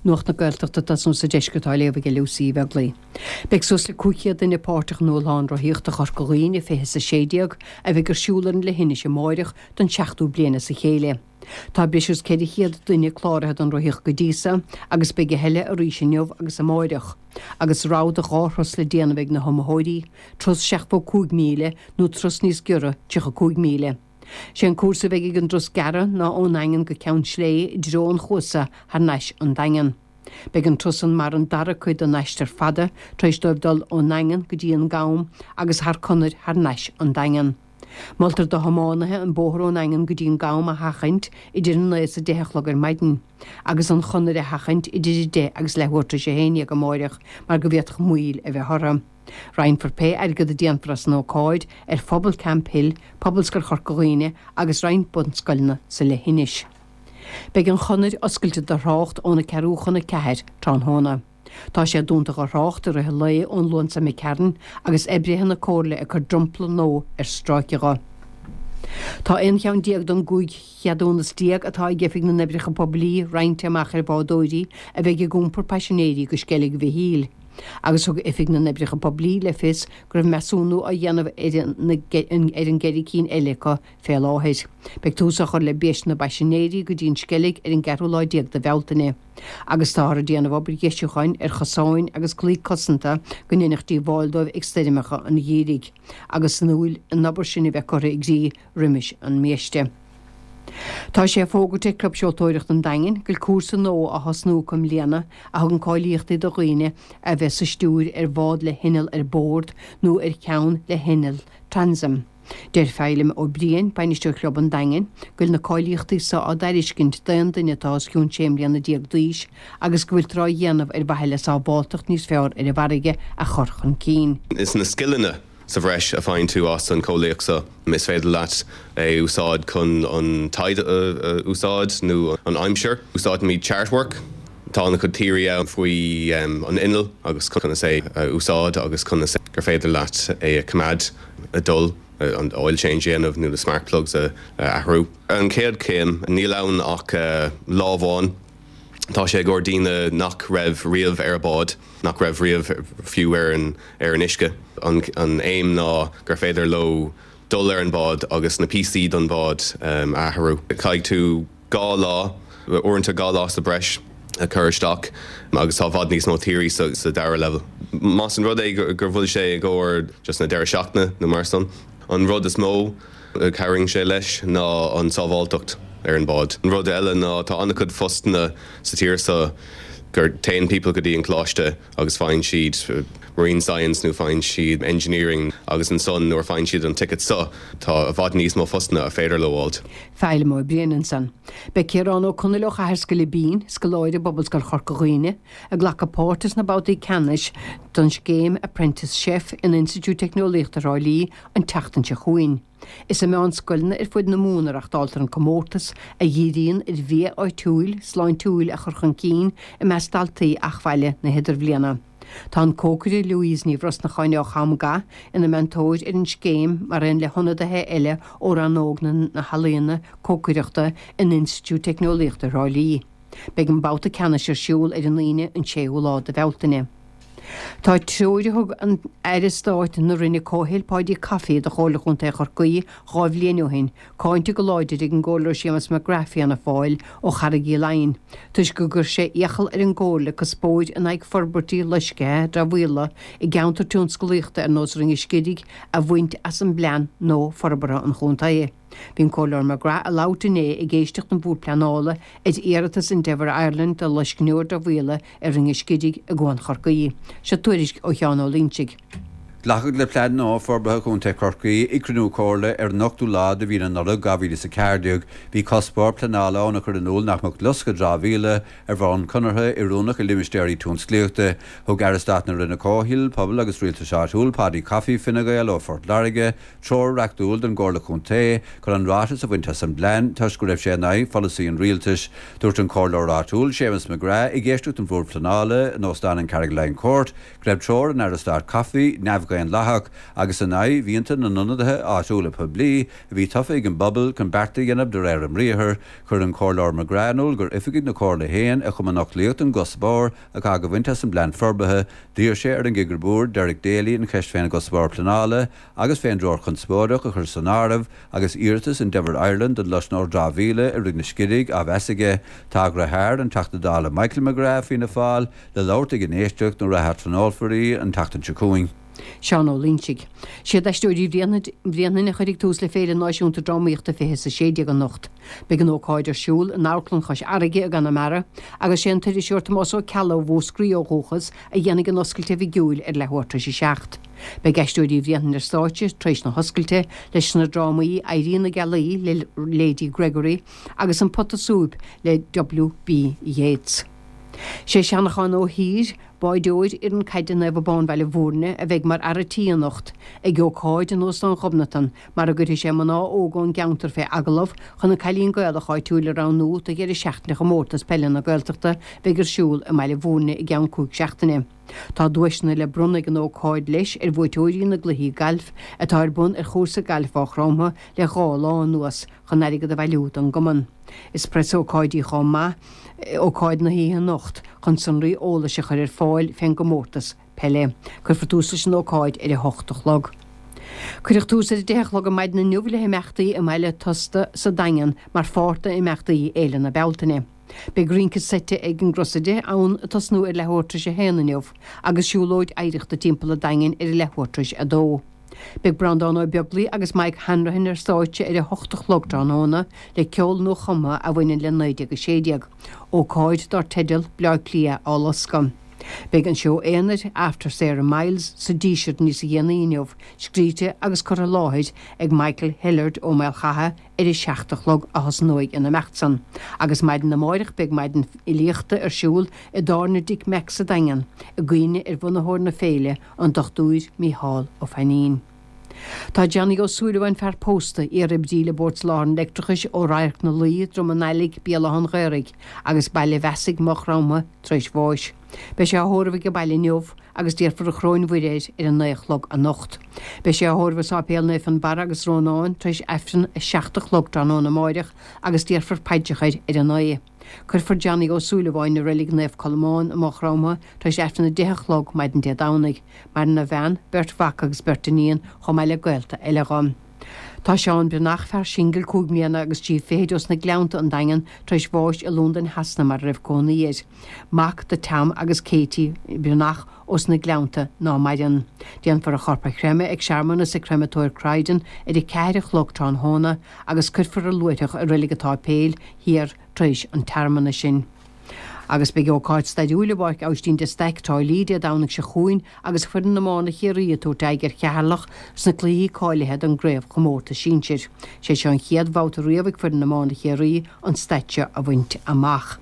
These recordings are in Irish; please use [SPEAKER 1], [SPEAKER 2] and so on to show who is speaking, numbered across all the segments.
[SPEAKER 1] Nuacht na Gaeltachta ag tosnú sa deisceart á léamh ag Lucy Uí Bheaglaoi. Beidh suas le 500 duine páirteach in Dúshlán Rothaíochta Chorca Dhuibhne 2016 a bheidh ar siúl ar an Leithinis amáireach don seachtú bliain as a chéile. Tá breis is 400 duine cláraithe don rothaíocht go dtí so agus beidh a thuilleadh arís inniu agus amáireach, agus rogha de dhá thuras le déanamh ag na hiomaitheoirí, turas 75 míle nó turas níos giorra 35 míle. Sé an cúrsa a bheidh ag an dturas gearra ná ón nDaingean go Ceann Sléibhe i dtreo an Chuasa thar n-ais an Daingean. Beidh an turas san mar an dara cuid den aistear fada tar éis dóibh dul ón nDaingean go dtí an gCam agus thar conair thar n-ais an Daingean. Moltar do thiománaithe an bóthar ón nDaingean go dtí an gCam a sheachaint idir a 9 is 10 a chlog ar maidin, agus an chonair a sheachaint idir 10 agus leathuair tar éis 11 amáireach mar go bhféadfadh moill a bheith orthu. Roinnfear pé airgead a déanfar as an ócáid ar phobal Camphill, Pobalscoil Chorca Dhuibhne agus roinnt bunscoileanna sa leithinis. Beidh an chonair oscailte do thrácht óna ceathrú chun a ceathair tráthnóna. Tá sé dúnta dho thrácht i rith an lae ón Luan so imigh tharainn agus oibrithe na Comhairle ag cur dromchla nua ar stráice dho. Tá aon cheann den 15 cheadúnas atá ag Oifig na nOibreacha Poiblí roinnte amach ar bhádóirí a bheidh ag iompar paisinéirí go Sceilg Mhichíl agus thug Oifig na nOibreacha Poiblí le fios go raibh measúnú á dhéanamh ar an gceithre cinn eile acu fé láthair. Beidh tús á chur le biaiste na bpaisinéirí go dtí an Sceilg ar an gceathrú lá de Bhealtaine. Agus táthar ag déanamh obair dheisiúcháin ar chosáin agus claí cosanta go ndéanfadh díobháil dóibh ag stoirmeacha an gheimhridh, agus súil an obair sin a bheith curtha i gcrích roimis an mbiaiste. Tá sé fógartha ag Club Seoltóireachta an Daingin go bhfuil cúrsa nua á thosnú acu i mbliana a thugann cáilíochtaí do dhaoine a bheas sa stiúir ar bhád le hinneall ar bord nó ar cheann le hinneall transom. Deir Feidhlim Ó Briain, Bainisteoir Chlub an Daingin, go bhfuil na cáilíochtaí so á dtairiscint d'aon duine atá os cionn 16 mbliana d'aois agus go bhfuiltear á dhéanamh ar mhaithe le sábháltacht níos fearr ar an bhfarraige a chur chun cinn.
[SPEAKER 2] Is na scileanna sa bhreis a faigheann tú as an chóilíocht so, is féidir leat é úsáid chun an tide a úsáid nó an aimsir. Úsáidimid chartwork. Tá an-chuid theory ann faoi an inneall agus conas é a úsáid agus conas gur féidir leat é a choimeád ag dul, an oil change a dhéanamh nó na spark plugs a athrú. An chéad chéim, níl ann ach lá amháin. Tá sé i gcomhair daoine nach raibh riamh ar bád, nach raibh riamh fiú ar an ar an uisce. An aidhm ná gur féidir leo dul ar an bád agus na píosaí don bhád a athrú. Caithfidh tú 2 lá, uaireanta 2 lá sa breis a chur isteach agus tá i bhfad níos mó theory sa dara level. Más an rud é gur bhfuil sé i gcomhair just na deireadh seachtaine nó mar san, an rud is mó a chabhraíonn sé leis ná an sábháilteacht ar an bád. An rud eile ná tá an-chuid postanna sa tír seo gur téann people go dtí an coláiste agus faigheann siad marine science nó faigheann siad engineering agus ansan nuair a faigheann siad an ticket seo tá i bhfad níos mó postanna a féidir leo fháilt.
[SPEAKER 1] Feidhlim Ó Briain ansan. Beidh Ciarán Ó Conaill ó Chathair Sgilibín, scoláire i bPobalscoil Chorca Dhuibhne, ag glacadh páirte sna babhtaí ceannais don scéim Apprentice Chef in Institiúid Teicneolaíochta Thrá Lí an tseachtain seo chugainn. Is i meánscoileanna ar fud na Mumhan a reachtáiltear an comórtas, a dhíríonn ar bhia áitiúil, sláintiúil a chur chun cinn i measc daltaí eachbhaile na hidirbhliana. Tá an cócaire Louise Ní Bhrosnacháin ó Cham Gath ina meantóir ar an scéim mar aon le hionadaithe eile ó rannóg na healaíona cócaireachta in Institiúid Teicneolaíochta Thrá Lí. Beidh an babhta ceannais ar siúl ar an Aoine an 6ú lá de Bhealtaine. Tá treoir a thug an Aire Stáit na Roinne Comhshaoil Paudie Coffey do Chomhairle Chontae Chorcaí 2 bhliain ó shin cáinte go láidir ag an gComhairleoir Séamus McGrath Fianna Fáil ó Charraig Uí Leighin toisc go gcuir sé iachall ar an gComhairle cuspóir in aghaidh forbairtí loiscthe dramhaíola i gceantar tionsclaíochta ar nós Rinn an Scirígh a bhaint as an bplean nua forbartha an chontae. Bhí an Comhairleoir McGrath ag labhairt inné ag éisteacht an Bhoird Pleanála ar iarratas Endeavour Ireland do loiscneoir dramhaíola ar Rinn an Scirígh i gCuan Chorcaí. Seo tuairisc ó Sheán Ó Loingsigh.
[SPEAKER 3] Glacadh le Plean Nua Forbartha Chontae Chorcaí ag cruinniú Comhairle ar an ochtú lá de mhí na Nollag 2014. Bhí cuspóir pleanála ann a chuir in iúl nach mbeadh loscadh dramhaíola ar bhonn conartha oiriúnach i limistéirí tionsclaíochta. Thug Aire Stáit na Roinne Comhshaoil, Pobail agus Rialtais Áitiúil, Paudie Coffey, Fine Gael ó Phort Láirge, treoir reachtúil don gComhairle Contae chun an ráiteas a bhaint as an bplean toisc go raibh sé in aghaidh pholasaí an rialtais. Dúirt an comhairleoir áitiúil, Séamus McGrath, ag éisteacht don Bhord Pleanála in Óstán an Carrigaline Court, go raibh treoir an Aire Stáit Coffey neamh. neamh-dhaonlathach agus in aghaidh mhianta na n-ionadaithe áitiúla poiblí a bhí tofa ag an bpobal chun bearta a dhéanamh de réir a mbriathair. Chuir an Comhairleoir McGrath in iúl gur oifigigh na Comhairle féin a chum an fhoclaíocht don gcuspóir atá á bhaint as an bplean forbartha. D'iarr sé ar an gCigire Boird, Derek Daly, an cheist fén gcuspóir pleanála agus fén dtreoir chonspóideach a chur san áireamh agus iarratas Endeavour Ireland don loscnóir dramhaíola i Rig na Sceirig á mheas aige. Tá a dheartháir, an Teachta Dála Michael McGrath, Fianna Fáil, le labhairt ag an éisteacht nuair a ationólfar í an tseachtain seo chugainn.
[SPEAKER 1] Seán Ó Loingsigh. Siad Aisteoirí Bhréanainn a chuirfidh tús le Féile Náisiúnta Drámaíochta 20 is 16 anocht. Beidh an ócáid ar siúl in Amharclann Chois Fharraige i gConamara agus sé an t-iriseoir Tomás Ó Ceallaigh ó Mhúscraí ó dhúchas a dhéanfaidh an oscailt oifigiúil ar leathuair tar éis a seacht. Beidh Aisteoirí Bhréanainn ar stáitse tar éis na hoscailte leis na drámaí Éirí na Gealaí le Lady Gregory agus An Pota Súip le W. B. Yeats. Sé Seanachán Ó hÍr, báideoir fhoireann caide Naomh Abán Bhaile Bhúirne, a bheidh mar fhear a' tí anocht ag ócáid in Óstán Ghobnatan mar a gcuirfidh sé mná óga ón gceantar fé agallamh chun an Cailín Gaelach áitiúil a roghnú do dheireadh seachtaine Chomórtas Peile na Gaeltachta a bheidh ar siúl i mBaile Bhúirne i gceann cúig seachtaine. Tá duaiseanna le bronnadh ag an ócáid leis ar bhuaiteoirí na gcluichí gailf atá ar bun ar chúrsa gailf Mhaigh Chromtha le dhá lá anuas chun airgead a bhailiú don gcumann. Is preasócáid í chomh maith, ócáid na hoíche anocht, chun sonraí eolais a chur ar fáil fén gcomórtas peile. Cuirfear tús leis an ócáid ar a hocht a chlog. Cuireadh tús ar a deich a chlog ar maidin inniu le himeachtaí i mBaile Tosta sa Daingean mar pháirt d'imeachtaí Fhéile na Bealtaine. Beidh rince seite ag an gCrosaire ann ag tosnú ar leathuair tar éis a haon inniu agus siúlóid oidhreachta timpeall an Daingin ar a leathuair tar éis a dó. Beidh Breandán Ó Beaglaoi agus Mike Hanrahan ar stáitse ar a hocht a chlog tráthnóna le ceol nuachumtha a bhaineann le 1916, ócáid dár teideal Bleá Cliath á Loscadh. Beidh an seó aonair After Sarah Miles sa Díseart níos dhéanaí inniu, scríte agus curtha i láthair ag Michael Hillard ó Maolchatha ar a seacht a chlog a thosnóidh an imeacht san, agus maidin amáireach beidh maidin fhilíochta ar siúl i dtábhairne Dick Mack sa Daingean, i gcuimhne ar bhunaitheoir na féile, an Dochtúir Mícheál Ó Fainín. Tá Johnny Ó Súilleabháin, fear pósta, iar-oibrí le Bord Soláthair an Leictreachais ó Radharc na Laoi, Drom an Ailigh, Béal Átha an Ghaorthaidh, agus Baile Bheasaigh, Maigh Chromtha, tar éis bháis. Beidh sé á thórramh ag an baile inniu agus déarfar an Choróin Mhuire air ar a naoi a chlog anocht. Beidh sé á thórramh i Sáipéal Naomh Fionnbarra agus Rónán tar éis Aifreann a 7 a chlog tráthnóna amáireach agus déarfar paidreacha air ar a naoi. Cuirfear Johnny Ó Súilleabháin i Reilig Naomh Colmán i Maigh Chromtha tar éis Aifreann a deich a chlog maidin Dé Domhnaigh. Maireann a bhean, beirt mhac agus beirt iníon chomh maith le gaolta eile dho. Tá Seán Breathnach, fear singil, cúig mbliana agus trí fichid ós na Gleannta, An Daingean, tar éis bháis i Londain Shasana mar a raibh cónaí air. Mac do Tom agus Katie Breathnach ós na Gleannta ná maireann. Déanfar a chorp a chreimeadh ag searmanas ag Creamatóir Croydon ar a ceathair a chlog tráthnóna agus cuirfear a luaithreach i Reilig an tSáipéil Thiar tar éis an tsearmanais sin. Agus beidh ócáid stairiúil i bPáirc Aibhistín de Staic, Trá Lí, Dé Domhnaigh seo chugainn agus foireann iomána Chiarraí ag tabhairt aghaidh ar Cheatharlach sna cluichí cáilithe don gcraobhchomórtas sinsir. Sé seo an chéad bhabhta riamh ag foireann iomána Chiarraí an staid seo a bhaint amach.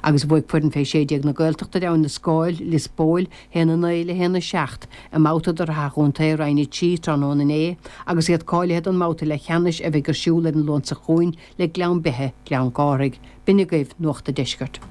[SPEAKER 1] Agus bhuaigh foireann fé 16 na Gaeltachta ar Abhainn na Scáil, Lios Póil, 1-9 le 1-7 i mbabhta de Shraith an Chontae Roinn 3 tráthnóna inné agus iad cáilithe don mbabhta leathcheannais a bheidh ar siúl ar an Luan seo chugainn le Gleann Beithe, Gleann Cárthaigh. B'in agaibh Nuacht a' Deiscirt.